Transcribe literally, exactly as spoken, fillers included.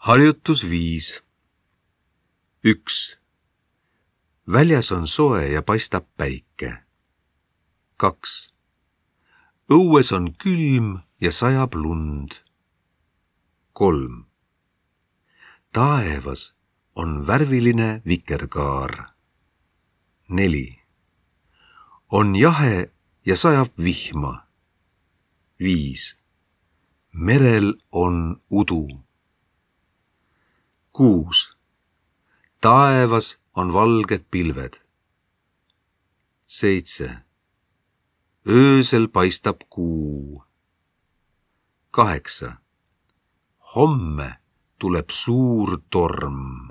Harjutus viis. üks. Väljas on soe ja paistab päike. kaks. Õues on külm ja sajab lund. kolm. Taevas on värviline vikerkaar. neli. On jahe ja sajab vihma. viis. Merel on udu. kuus. Taevas on valged pilved. seitse. Öösel paistab kuu. kaheksa. Homme tuleb suur torm.